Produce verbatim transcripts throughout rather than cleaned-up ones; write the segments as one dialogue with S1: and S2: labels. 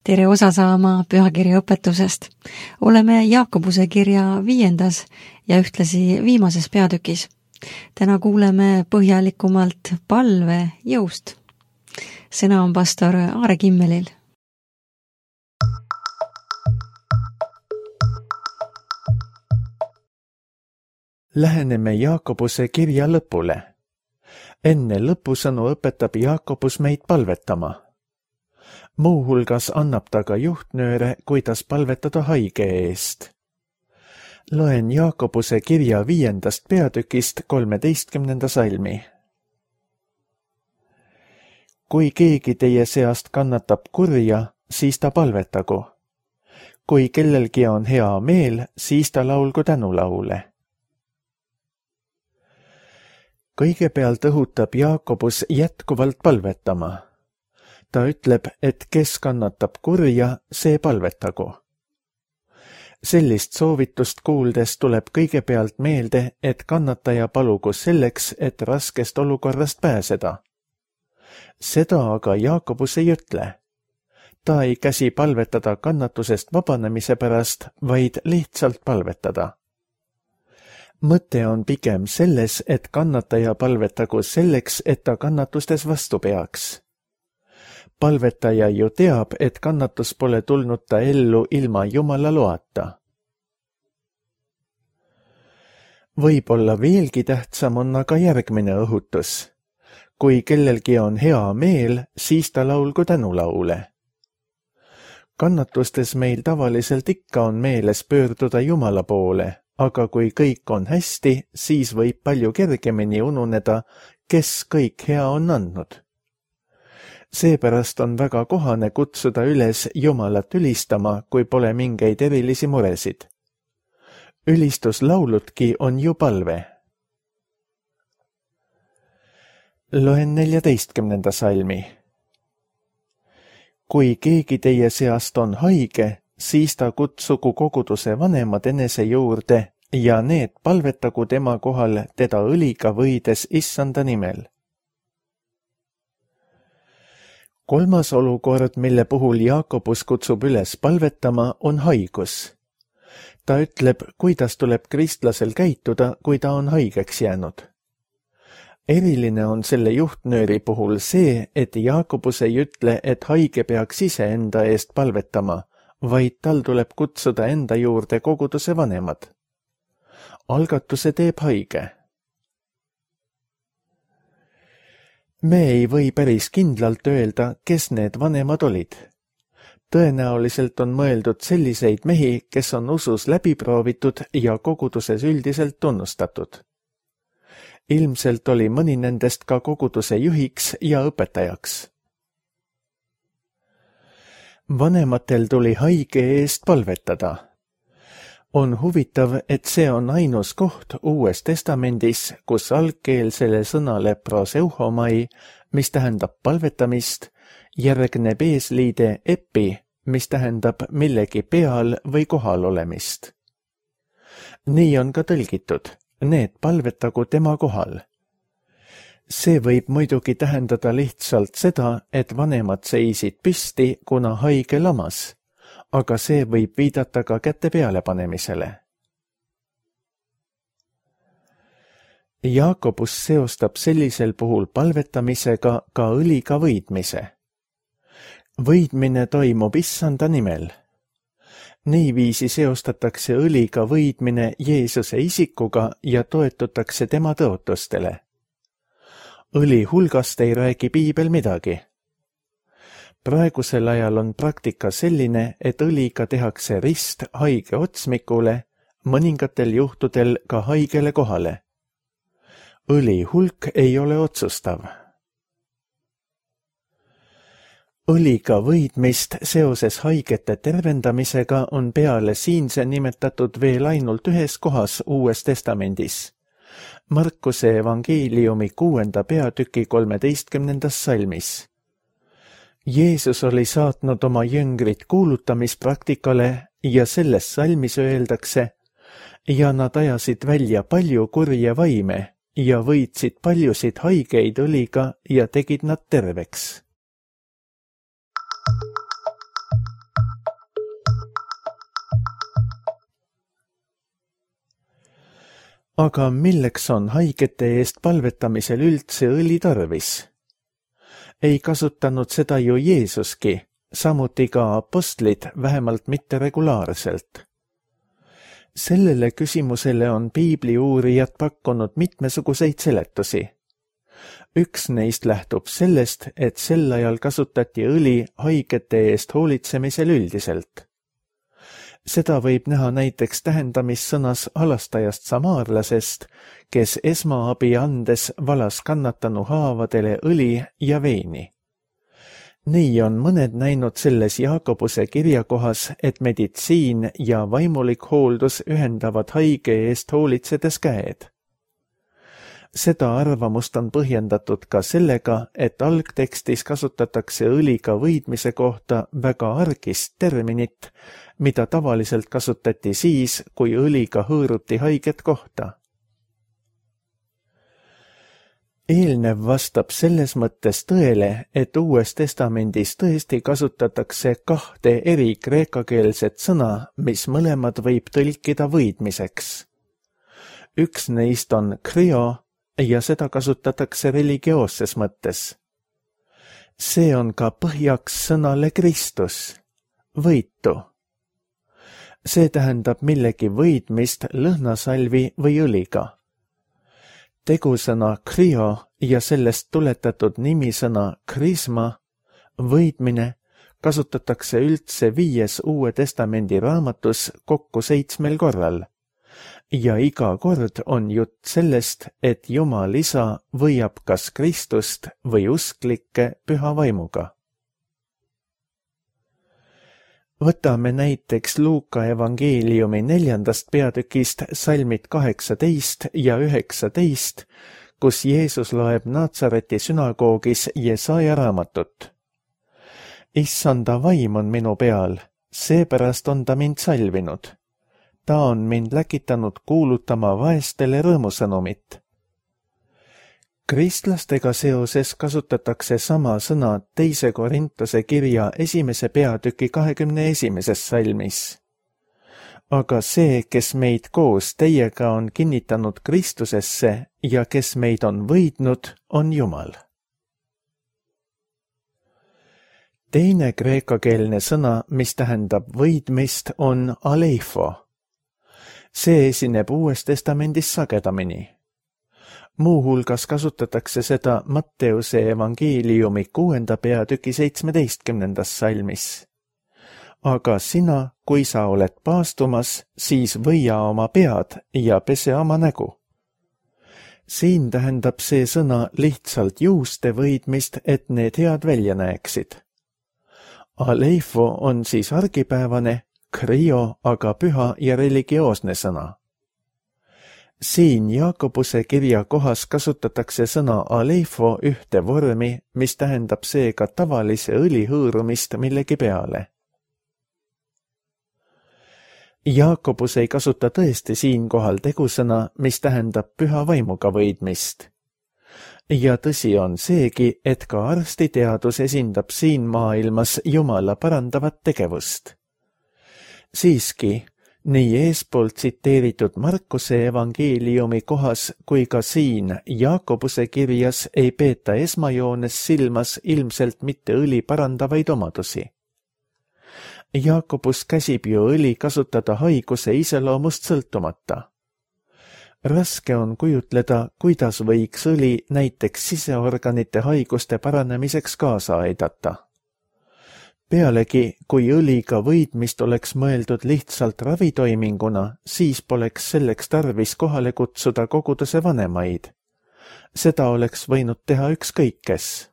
S1: Tere osa saama pühakirja õpetusest. Oleme Jaakobuse kirja viiendas ja ühtlasi viimases peatükis. Täna kuuleme põhjalikumalt palve jõust. Sõna on pastor Aare Kimmelil.
S2: Läheneme Jaakobuse kirja lõpule. Enne lõpusõnu õpetab Jaakobus meid palvetama. Muuhulgas annab ta ka juhtnööre, kuidas palvetada haige eest. Loen Jaakobuse kirja viiendast peatükist kolmeteistkümnenda salmi. Kui keegi teie seast kannatab kurja, siis ta palvetagu. Kui kellelgi on hea meel, siis ta laulgu tänulaule. Kõigepealt õhutab Jaakobus jätkuvalt palvetama. Ta ütleb, et kes kannatab kurja, see palvetagu. Sellist soovitust kuuldes tuleb kõigepealt meelde, et kannataja palugu selleks, et raskest olukorrast pääseda. Seda aga Jaakobus ei ütle. Ta ei käsi palvetada kannatusest vabanemise pärast, vaid lihtsalt palvetada. Mõte on pigem selles, et kannataja palvetagu selleks, et ta kannatustes vastu peaks. Palvetaja ju teab, et kannatus pole tulnud ta ellu ilma Jumala loata. Võib-olla veelgi tähtsam on aga järgmine õhutus. Kui kellelgi on hea meel, siis ta laulgu tänulaule. Kannatustes meil tavaliselt ikka on meeles pöörduda Jumala poole, aga kui kõik on hästi, siis võib palju kergemini ununeda, kes kõik hea on andnud. Seepärast on väga kohane kutsuda üles Jumalat ülistama, kui pole mingeid erilisi muresid. Ülistuslauludki on ju palve. Loen neljateistkümnenda salmi. Kui keegi teie seast on haige, siis ta kutsugu koguduse vanemad enese juurde ja need palvetagu tema kohal teda õliga võides issanda nimel. Kolmas olukord, mille puhul Jaakobus kutsub üles palvetama, on haigus. Ta ütleb, kuidas tuleb kristlasel käituda, kui ta on haigeks jäänud. Eriline on selle juhtnööri puhul see, et Jaakobus ei ütle, et haige peaks ise enda eest palvetama, vaid tal tuleb kutsuda enda juurde koguduse vanemad. Algatuse teeb haige. Me ei või päris kindlalt öelda, kes need vanemad olid. Tõenäoliselt on mõeldud selliseid mehi, kes on usus läbiproovitud ja koguduses üldiselt tunnustatud. Ilmselt oli mõni nendest ka koguduse juhiks ja õpetajaks. Vanematel tuli haige eest palvetada. On huvitav, et see on ainus koht Uues Testamendis, kus algkeelsele sõnale proseuhomai, mis tähendab palvetamist, järgneb eesliide epi, mis tähendab millegi peal või kohal olemist. Nii on ka tõlgitud, need palvetagu tema kohal. See võib muidugi tähendada lihtsalt seda, et vanemad seisid püsti, kuna haige lamas, aga see võib viidata ka käte peale panemisele. Jaakobus seostab sellisel puhul palvetamisega ka õliga võidmise. Võidmine toimub issanda nimel. Niiviisi seostatakse õliga võidmine Jeesuse isikuga ja toetutakse tema tõotustele. Õli hulgast ei räägi piibel midagi. Praegusel ajal on praktika selline, et õliga tehakse rist haige otsmikule, mõningatel juhtudel ka haigele kohale. Õli hulk ei ole otsustav. Õliga võidmist seoses haigete tervendamisega on peale siinse nimetatud veel ainult ühes kohas Uues Testamendis. Markuse evangeeliumi kuuenda peatüki kolmeteistkümnendas salmis. Jeesus oli saatnud oma jüngrid kuulutamispraktikale ja selles salmis öeldakse, ja nad ajasid välja palju kurje vaime ja võitsid paljusid haigeid õliga ja tegid nad terveks. aga milleks on haigete eest palvetamisel üldse õli tarvis? Ei kasutanud seda ju Jeesuski, samuti ka apostlid, vähemalt mitte regulaarselt. Sellele küsimusele on piibli uurijad pakkunud mitmesuguseid seletusi. Üks neist lähtub sellest, et sel ajal kasutati õli haigete eest hoolitsemisel üldiselt. Seda võib näha näiteks tähendamissõnas halastajast samaarlasest, kes esmaabi andes valas kannatanu haavadele õli ja veini. Nii on mõned näinud selles Jaakobuse kirjakohas, et meditsiin ja vaimulik hooldus ühendavad haige eest hoolitsedes käed. Seda arvamust on põhjendatud ka sellega, et algtekstis kasutatakse õliga võidmise kohta väga argist terminit, mida tavaliselt kasutati siis, kui õliga hõõruti haiget kohta. Eelnev vastab selles mõttes tõele, et Uues Testamendis tõesti kasutatakse kahte eri kreekakeelset sõna, mis mõlemad võib tõlkida võidmiseks. Üks neist on krio ja seda kasutatakse religioosses mõttes. See on ka põhjaks sõnale Kristus, võitu. See tähendab millegi võidmist lõhnasalvi või õliga. Tegusõna krio ja sellest tuletatud nimisõna krisma, võidmine, kasutatakse üldse viies Uue Testamendi raamatus kokku seitsmel korral. Ja iga kord on jutt sellest, et Jumal isa võiab kas Kristust või usklikke püha vaimuga. Võtame näiteks Luuka evangeeliumi neljandast peatükist salmid kaheksateist ja üheksateist, kus Jeesus loeb Natsareti sünagoogis Jesaja raamatut. Issanda vaim on minu peal, seepärast on ta mind salvinud. Ta on mind läkitanud kuulutama vaestele rõõmusõnumit. Kristlastega seoses kasutatakse sama sõna teise Korintuse kirja esimese peatüki kahekümne esimeses salmis. Aga see, kes meid koos teiega on kinnitanud Kristusesse ja kes meid on võidnud, on Jumal. Teine kreekakeelne sõna, mis tähendab võidmist, on aleifo. See esineb Uues Testamendis sagedamini. Muuhulgas kasutatakse seda Matteuse evangeeliumi kuuenda peatüki seitsmeteistkümnendas salmis. Aga sina, kui sa oled paastumas, siis võia oma pead ja pese oma nägu. Siin tähendab see sõna lihtsalt juuste võidmist, et need head välja näeksid. Aleifo on siis argipäevane, krio aga püha ja religioosne sõna. Siin Jaakobuse kirja kohas kasutatakse sõna aleifo ühte vormi, mis tähendab seega tavalise õli hõõrumist millegi peale. Jaakobus ei kasuta tõesti siinkohal tegusõna, mis tähendab püha vaimuga võidmist. Ja tõsi on seegi, et ka arstiteadus esindab siin maailmas Jumala parandavat tegevust. Siiski, nii eespool tsiteeritud Markuse evangeeliumi kohas kui ka siin Jaakobuse kirjas ei peeta esmajoones silmas ilmselt mitte õli parandavaid omadusi. Jaakobus käsib ju õli kasutada haiguse iseloomust sõltumata. Raske on kujutleda, kuidas võiks õli näiteks siseorganite haiguste paranemiseks kaasa aidata. Pealegi, kui õliga võidmist oleks mõeldud lihtsalt ravitoiminguna, siis poleks selleks tarvis kohale kutsuda koguduse vanemaid. Seda oleks võinud teha ükskõik kes.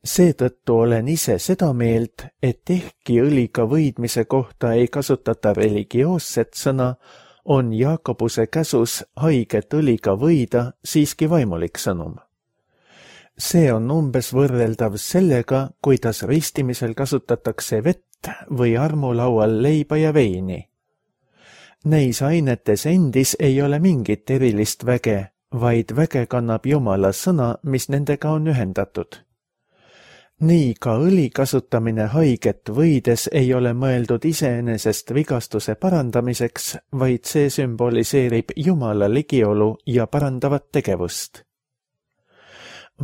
S2: Seetõttu olen ise seda meelt, et ehkki õliga võidmise kohta ei kasutata religioosset sõna, on Jaakobuse käsus haiget õliga võida siiski vaimulik sõnum. See on umbes võrreldav sellega, kuidas ristimisel kasutatakse vett või armulaual leiba ja veini. Neis ainetes endis ei ole mingit erilist väge, vaid väge kannab Jumala sõna, mis nendega on ühendatud. nii ka õli kasutamine haiget võides ei ole mõeldud iseenesest vigastuse parandamiseks, vaid see sümboliseerib Jumala ligiolu ja parandavat tegevust.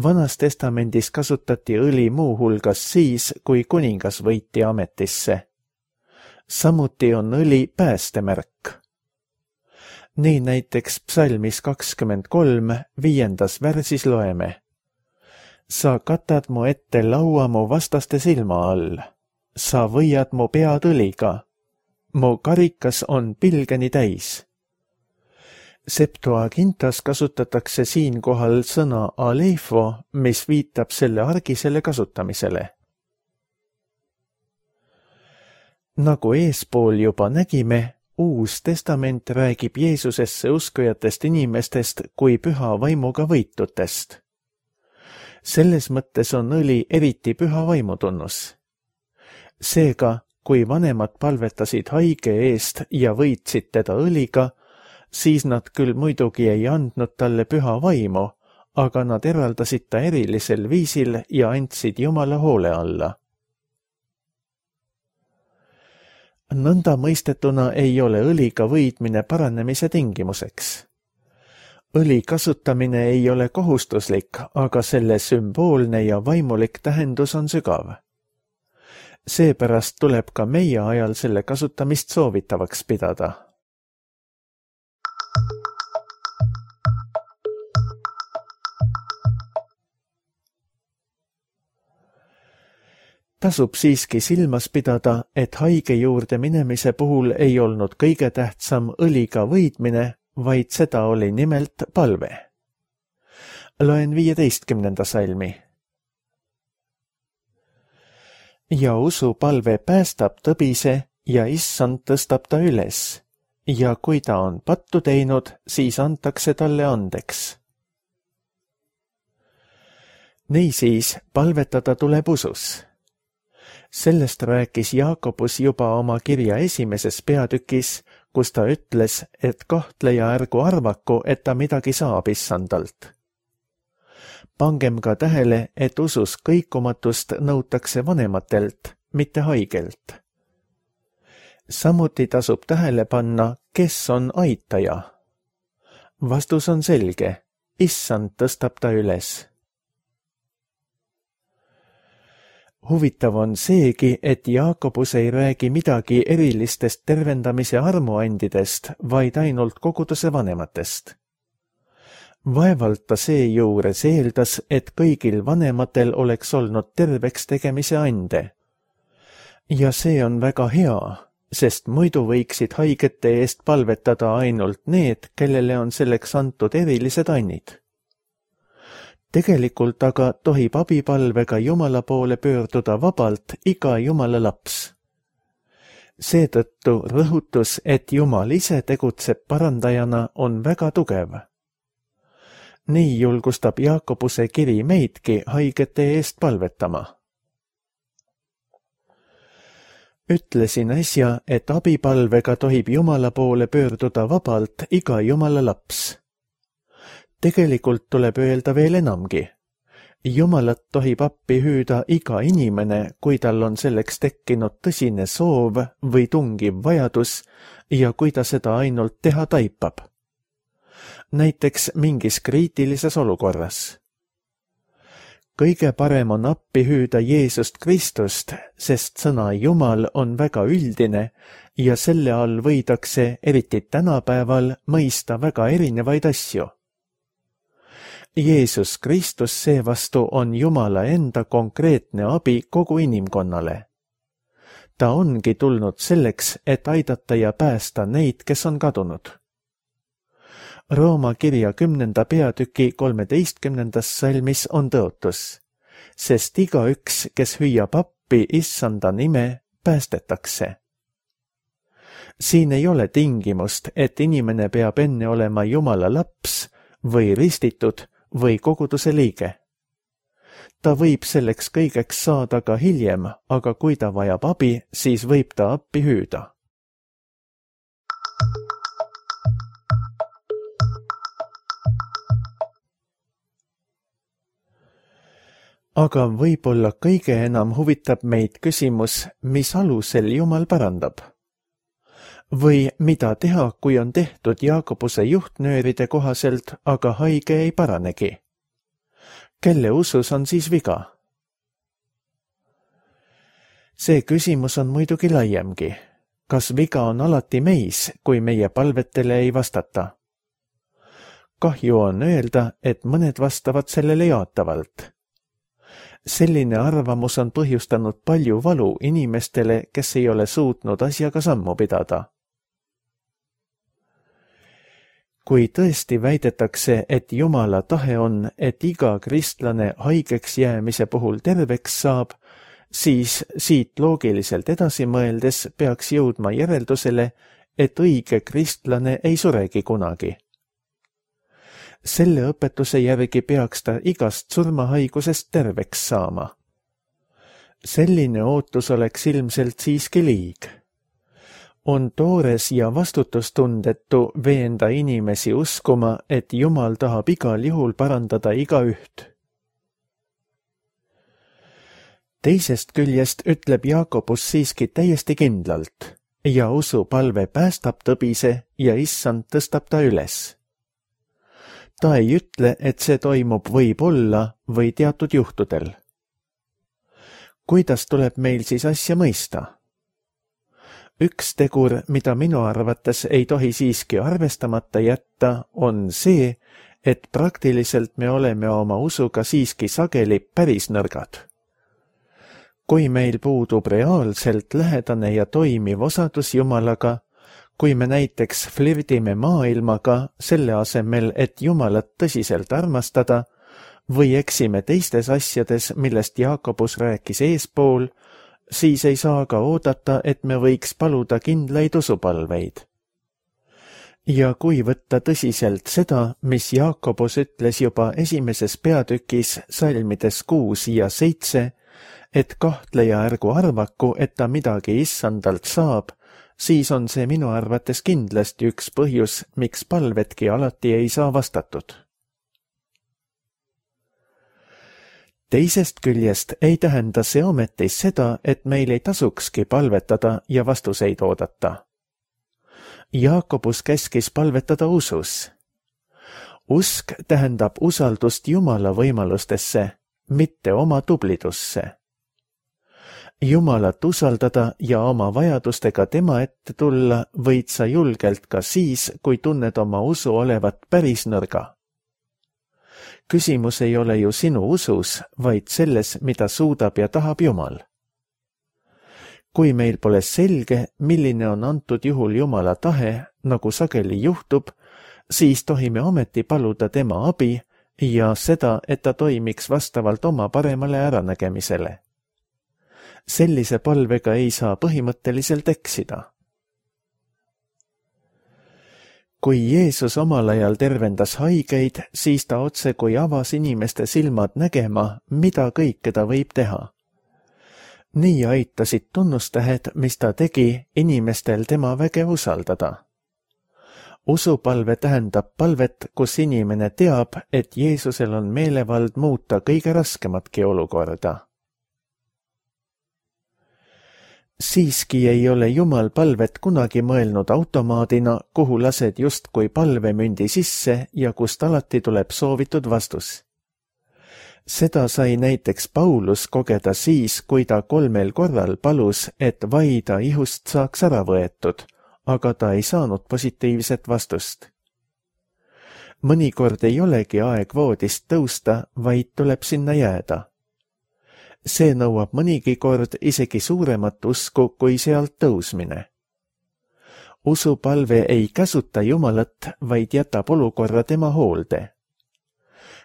S2: Vanas testamendis kasutati õli muuhulgas siis, kui kuningas võiti ametisse. Samuti on õli päästemärk. Nii näiteks psalmis kakskümmend kolm viiendas värsis loeme. Sa katad mu ette laua mu vastaste silma all. Sa võiad mu pead õliga. Mu karikas on pilgeni täis. Septuagintas kasutatakse siinkohal sõna aleifo, mis viitab selle argisele kasutamisele. Nagu eespool juba nägime, Uus testament räägib Jeesusesse uskujatest inimestest kui püha vaimuga võitutest. Selles mõttes on õli eriti püha vaimutunnus. Seega, kui vanemad palvetasid haige eest ja võitsid teda õliga, siis nad küll muidugi ei andnud talle püha vaimu, aga nad eraldasid ta erilisel viisil ja andsid Jumala hoole alla. Nõnda mõistetuna ei ole õliga võidmine paranemise tingimuseks. Õli kasutamine ei ole kohustuslik, aga selle sümboolne ja vaimulik tähendus on sügav. Seepärast tuleb ka meie ajal selle kasutamist soovitavaks pidada. Tasub siiski silmas pidada, et haige juurde minemise puhul ei olnud kõige tähtsam õliga võidmine, vaid seda oli nimelt palve. Loen viieteistkümnenda salmi. Ja usu palve päästab tõbise ja issand tõstab ta üles, ja kui ta on pattu teinud, siis antakse talle andeks. Niisiis palvetada tuleb usus. Sellest rääkis Jaakobus juba oma kirja esimeses peatükis, kus ta ütles, et kahtleja ärgu arvaku, et ta midagi saab issandalt. Pangem ka tähele, et usus kõikumatust nõutakse vanematelt, mitte haigelt. Samuti tasub tähele panna, kes on aitaja. Vastus on selge, issand tõstab ta üles. Huvitav on seegi, et Jaakobus ei räägi midagi erilistest tervendamise armuandidest, vaid ainult koguduse vanematest. Vaevalt ta seejuures eeldas, et kõigil vanematel oleks olnud terveks tegemise ande. Ja see on väga hea, sest muidu võiksid haigete eest palvetada ainult need, kellele on selleks antud erilised annid. Tegelikult aga tohib abipalvega Jumala poole pöörduda vabalt iga Jumala laps. Seetõttu rõhutus, et Jumal ise tegutseb parandajana, on väga tugev. Nii julgustab Jaakobuse kiri meidki haigete eest palvetama. Ütlesin äsja, et abipalvega tohib Jumala poole pöörduda vabalt iga Jumala laps. Tegelikult tuleb öelda veel enamgi. Jumalat tohib appi hüüda iga inimene, kui tal on selleks tekkinud tõsine soov või tungiv vajadus ja kui ta seda ainult teha taipab. Näiteks mingis kriitilises olukorras. Kõige parem on appi hüüda Jeesust Kristust, sest sõna Jumal on väga üldine ja selle all võidakse, eriti tänapäeval, mõista väga erinevaid asju. Jeesus Kristus seevastu on Jumala enda konkreetne abi kogu inimkonnale. Ta ongi tulnud selleks, et aidata ja päästa neid, kes on kadunud. Rooma kirja kümnenda peatüki kolmeteistkümnendas salmis on tõotus, sest igaüks, kes hüüab appi issanda nime, päästetakse. Siin ei ole tingimust, et inimene peab enne olema Jumala laps või ristitud või koguduse liige. Ta võib selleks kõigeks saada ka hiljem, aga kui ta vajab abi, siis võib ta appi hüüda. aga võib-olla kõige enam huvitab meid küsimus, mis alusel Jumal parandab. Või mida teha, kui on tehtud Jaakobuse juhtnööride kohaselt, aga haige ei paranegi? Kelle usus on siis viga? See küsimus on muidugi laiemgi. Kas viga on alati meis, kui meie palvetele ei vastata? Kahju on öelda, et mõned vastavad sellele jaatavalt. Selline arvamus on põhjustanud palju valu inimestele, kes ei ole suutnud asjaga sammu pidada. Kui tõesti väidetakse, et Jumala tahe on, et iga kristlane haigeks jäämise puhul terveks saab, siis siit loogiliselt edasi mõeldes peaks jõudma järeldusele, et õige kristlane ei suregi kunagi. Selle õpetuse järgi peaks ta igast surmahaigusest terveks saama. Selline ootus oleks ilmselt siiski liig. On toores ja vastutustundetu veenda inimesi uskuma, et Jumal tahab igal juhul parandada igaüht. Teisest küljest ütleb Jaakobus siiski täiesti kindlalt ja usupalve päästab tõbise ja issand tõstab ta üles. Ta ei ütle, et see toimub võib-olla või teatud juhtudel. Kuidas tuleb meil siis asja mõista? Üks tegur, mida minu arvates ei tohi siiski arvestamata jätta, on see, et praktiliselt me oleme oma usuga siiski sageli päris nõrgad. Kui meil puudub reaalselt lähedane ja toimiv osadus Jumalaga, kui me näiteks flirdime maailmaga selle asemel, et Jumalat tõsiselt armastada, või eksime teistes asjades, millest Jaakobus rääkis eespool, siis ei saa ka oodata, et me võiks paluda kindlaid usupalveid. Ja kui võtta tõsiselt seda, mis Jaakobus ütles juba esimeses peatükis salmides kuus ja seitse, et kahtleja ärgu arvaku, et ta midagi issandalt saab, siis on see minu arvates kindlasti üks põhjus, miks palvetki alati ei saa vastatud. Teisest küljest ei tähenda see ometi seda, et meil ei tasukski palvetada ja vastuseid oodata. Jaakobus käskis palvetada usus. Usk tähendab usaldust Jumala võimalustesse, mitte oma tublidusse. Jumalat usaldada ja oma vajadustega tema ette tulla võid sa julgelt ka siis, kui tunned oma usu olevat päris nõrga. Küsimus ei ole ju sinu usus, vaid selles, mida suudab ja tahab Jumal. Kui meil pole selge, milline on antud juhul Jumala tahe, nagu sageli juhtub, siis tohime ometi paluda tema abi ja seda, et ta toimiks vastavalt oma paremale äranägemisele. Sellise palvega ei saa põhimõtteliselt eksida. Kui Jeesus omal ajal tervendas haigeid, siis ta otse kui avas inimeste silmad nägema, mida kõike ta võib teha. Nii aitasid tunnustähed, mis ta tegi, inimestel tema väge usaldada. Usupalve tähendab palvet, kus inimene teab, et Jeesusel on meelevald muuta kõige raskematki olukorda. Siiski ei ole Jumal palvet kunagi mõelnud automaadina, kuhu lased justkui palvemündi sisse ja kust alati tuleb soovitud vastus. Seda sai näiteks Paulus kogeda siis, kui ta kolmel korral palus, et vaida ihust saaks ära võetud, aga ta ei saanud positiivset vastust. Mõnikord ei olegi aeg voodist tõusta, vaid tuleb sinna jääda. See nõuab mõnigi kord isegi suuremat usku kui sealt tõusmine. Usupalve ei käsuta Jumalat, vaid jätab olukorra tema hoolde.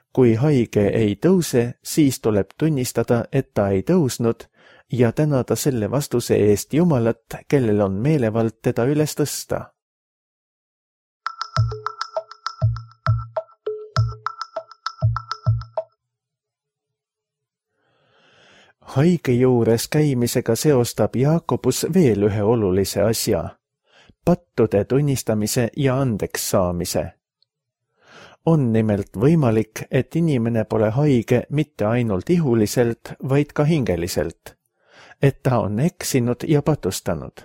S2: Kui haige ei tõuse, siis tuleb tunnistada, et ta ei tõusnud ja tänada selle vastuse eest Jumalat, kellel on meelevald teda üles tõsta. Haige juures käimisega seostab Jaakobus veel ühe olulise asja, pattude tunnistamise ja andeks saamise. On nimelt võimalik, et inimene pole haige mitte ainult ihuliselt, vaid ka hingeliselt, et ta on eksinud ja patustanud.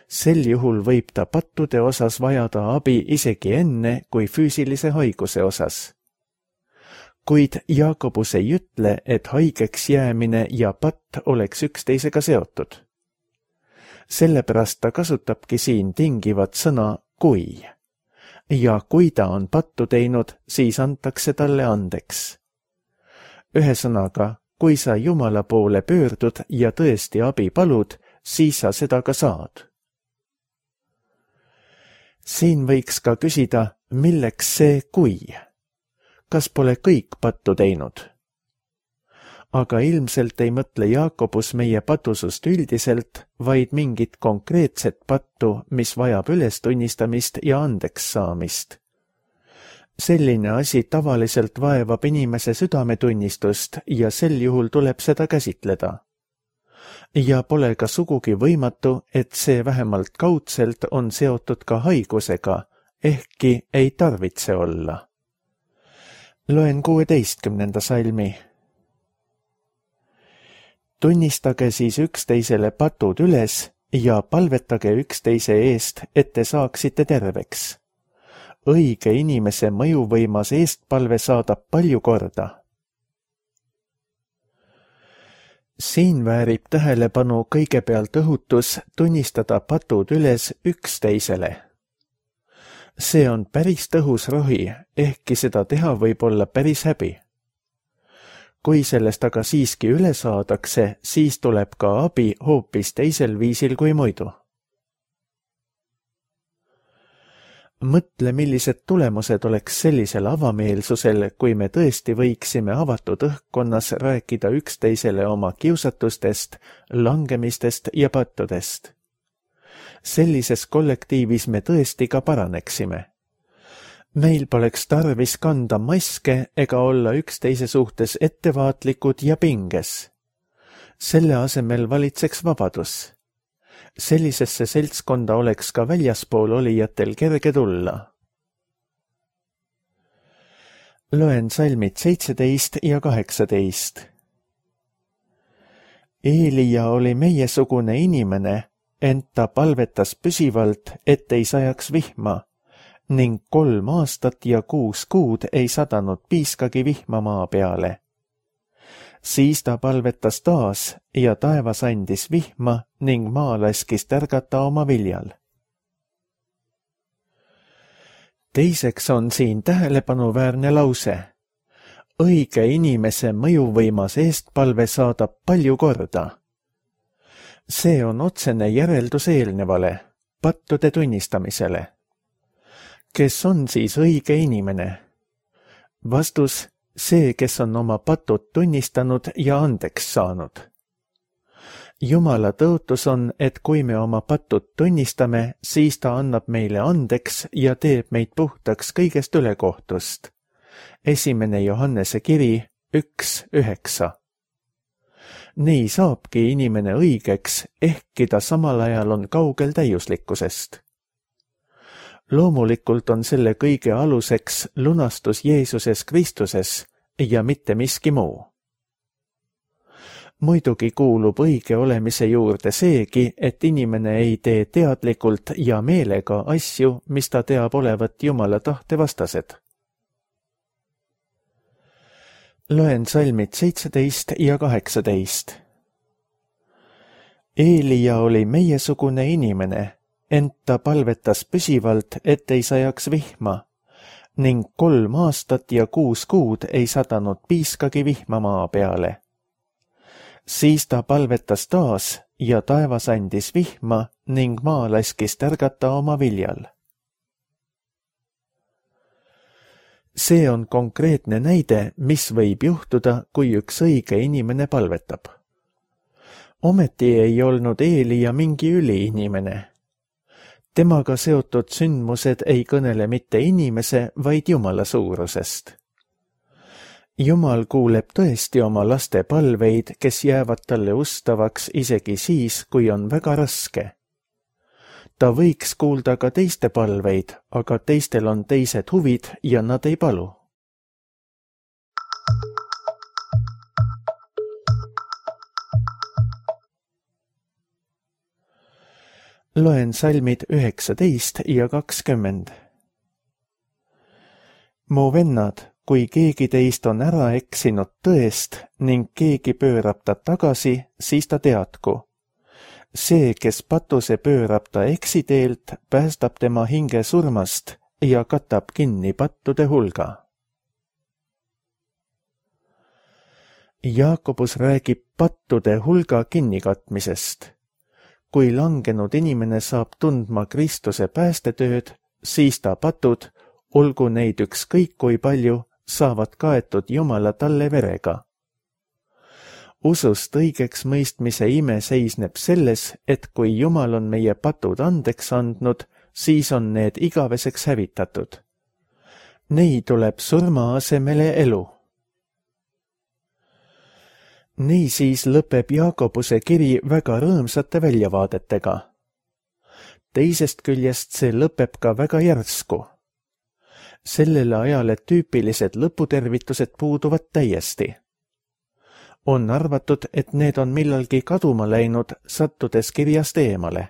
S2: Sel juhul võib ta pattude osas vajada abi isegi enne kui füüsilise haiguse osas. Kuid Jaakobus ei ütle, et haigeks jäämine ja patt oleks üksteisega seotud. Sellepärast ta kasutabki siin tingivat sõna kui. Ja kui ta on pattu teinud, siis antakse talle andeks. Ühesõnaga, kui sa Jumala poole pöördud ja tõesti abi palud, siis sa seda ka saad. Siin võiks ka küsida, milleks see kui? Kas pole kõik pattu teinud? Aga ilmselt ei mõtle Jaakobus meie patusust üldiselt, vaid mingit konkreetset pattu, mis vajab ülestunnistamist ja andeks saamist. Selline asi tavaliselt vaevab inimese südametunnistust ja sel juhul tuleb seda käsitleda. Ja pole ka sugugi võimatu, et see vähemalt kaudselt on seotud ka haigusega, ehkki ei tarvitse olla. Loen kuueteistkümnenda salmi. Tunnistage siis üksteisele patud üles ja palvetage üksteise eest, et te saaksite terveks. Õige inimese mõjuvõimas eestpalve saadab palju korda. Siin väärib tähelepanu kõigepealt õhutus tunnistada patud üles üksteisele. See on päris tõhus rohi, ehkki seda teha võib olla päris häbi. Kui sellest aga siiski üle saadakse, siis tuleb ka abi hoopis teisel viisil kui muidu. Mõtle, millised tulemused oleks sellisel avameelsusel, kui me tõesti võiksime avatud õhkkonnas rääkida üksteisele oma kiusatustest, langemistest ja pattudest. Sellises kollektiivis me tõesti ka paraneksime. Meil poleks tarvis kanda maske ega olla üksteise suhtes ettevaatlikud ja pinges. Selle asemel valitseks vabadus. Sellisesse seltskonda oleks ka väljaspool olijatel kerge tulla. Loen salmid seitseteist ja kaheksateist. Eelia oli meiesugune inimene, ent ta palvetas püsivalt, et ei sajaks vihma, ning kolm aastat ja kuus kuud ei sadanud piiskagi vihma maa peale. Siis ta palvetas taas ja taevas andis vihma ning maa laskis tärgata oma viljal. Teiseks on siin tähelepanuväärne lause. Õige inimese mõjuvõimas eestpalve saadab palju korda. See on otsene järeldus eelnevale, pattude tunnistamisele. Kes on siis õige inimene? Vastus, see, kes on oma patud tunnistanud ja andeks saanud. Jumala tõotus on, et kui me oma patud tunnistame, siis ta annab meile andeks ja teeb meid puhtaks kõigest ülekohtust. Esimene Johannese kiri üks üheksa. Nii saabki inimene õigeks, ehkki ta samal ajal on kaugel täiuslikkusest. Loomulikult on selle kõige aluseks lunastus Jeesuses Kristuses ja mitte miski muu. Muidugi kuulub õige olemise juurde seegi, et inimene ei tee teadlikult ja meelega asju, mis ta teab olevat Jumala tahte vastased. Loen salmid seitseteist ja kaheksateist. Eelia oli meiesugune inimene, ent ta palvetas püsivalt, et ei sajaks vihma, ning kolm aastat ja kuus kuud ei sadanud piiskagi vihma maa peale. Siis ta palvetas taas ja taevas andis vihma ning maa laskis tärgata oma viljal. See on konkreetne näide, mis võib juhtuda, kui üks õige inimene palvetab. Ometi ei olnud Eelia mingi üliinimene. Temaga seotud sündmused ei kõnele mitte inimese, vaid Jumala suurusest. Jumal kuuleb tõesti oma laste palveid, kes jäävad talle ustavaks isegi siis, kui on väga raske. ta võiks kuulda ka teiste palveid, aga teistel on teised huvid ja nad ei palu. Loen salmid üheksateist ja kakskümmend. Mu vennad, kui keegi teist on ära eksinud tõest ning keegi pöörab ta tagasi, siis ta teadku. See, kes patuse pöörab ta eksiteelt, päästab tema hinge surmast ja katab kinni pattude hulga. Jaakobus räägib pattude hulga kinnikatmisest. Kui langenud inimene saab tundma Kristuse päästetööd, siis ta patud, olgu neid ükskõik kui palju, saavad kaetud Jumala talle verega. Usust õigeks mõistmise ime seisneb selles, et kui Jumal on meie patud andeks andnud, siis on need igaveseks hävitatud. Neid tuleb surma asemele elu. Niisiis lõpeb Jaakobuse kiri väga rõõmsate väljavaadetega. Teisest küljest see lõpeb ka väga järsku. Sellele ajale tüüpilised lõputervitused puuduvad täiesti. On arvatud, et need on millalgi kaduma läinud, sattudes kirjast eemale.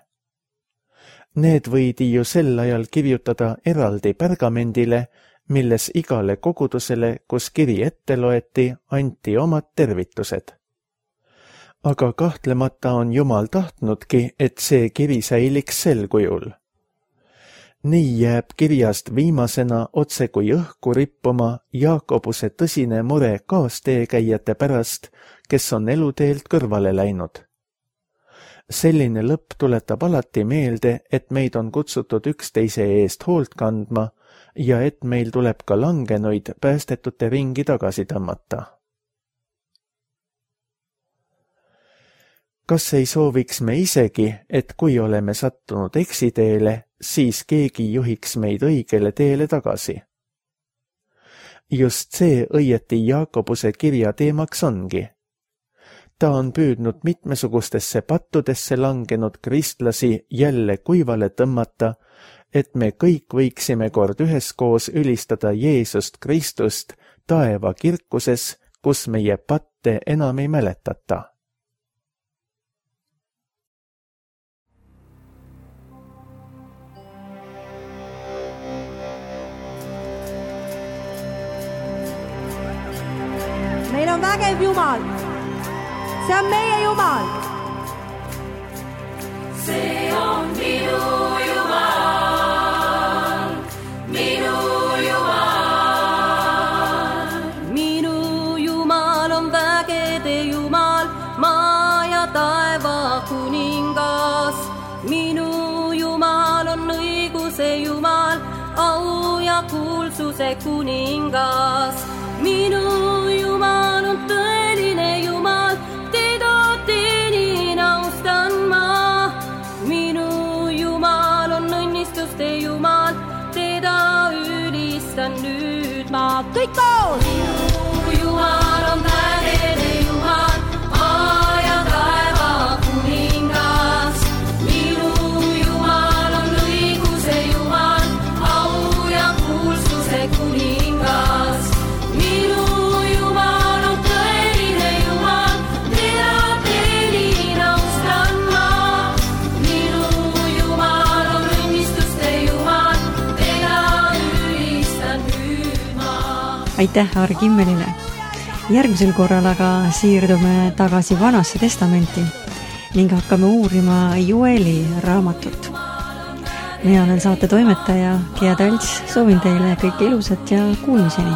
S2: Need võidi ju sel ajal kirjutada eraldi pergamendile, milles igale kogudusele, kus kiri ette loeti, anti omad tervitused. Aga kahtlemata on Jumal tahtnudki, et see kiri säiliks sel kujul. Nii jääb kirjast viimasena otse kui õhku rippuma Jaakobuse tõsine mure kaasteekäijate pärast, kes on eluteelt kõrvale läinud. Selline lõpp tuletab alati meelde, et meid on kutsutud üksteise eest hoolt kandma ja et meil tuleb ka langenuid päästetute ringi tagasi tõmmata. Kas ei sooviks me isegi, et kui oleme sattunud eksiteele, siis keegi juhiks meid õigele teele tagasi? Just see õieti Jaakobuse kirja teemaks ongi. Ta on püüdnud mitmesugustesse pattudesse langenud kristlasi jälle kuivale tõmmata, et me kõik võiksime kord üheskoos ülistada Jeesust Kristust taeva kirkuses, kus meie patte enam ei mäletata.
S3: Meil on vägev Jumal. See on meie Jumal.
S4: See on minu Jumal, minu Jumal.
S3: Minu Jumal on vägede Jumal, maa ja taeva kuningas. Minu Jumal on õiguse Jumal, au ja kuulsuse kuningas. Minu Jumal on tõeline Jumal, teda teenin, austan ma. Minu Jumal on õnnistuste Jumal, teda ülistan nüüd ma. Kõik koos! Minu Jumal on vägede Jumal, maa ja taeva kuningas. Minu Jumal on õiguse Jumal, au ja kuulsuse kuningas. Minu Jumal on tõeline Jumal, teda teenin, austan ma. Minu Jumal on õnnistuste Jumal, teda ülistan nüüd ma.
S1: Aitäh Arg Immelile! Järgmisel korral aga siirdume tagasi Vanasse testamenti ning hakkame uurima Joeli raamatut. Mina olen saate toimetaja Gea Talts, soovin teile kõike ilusat ja kuulmiseni!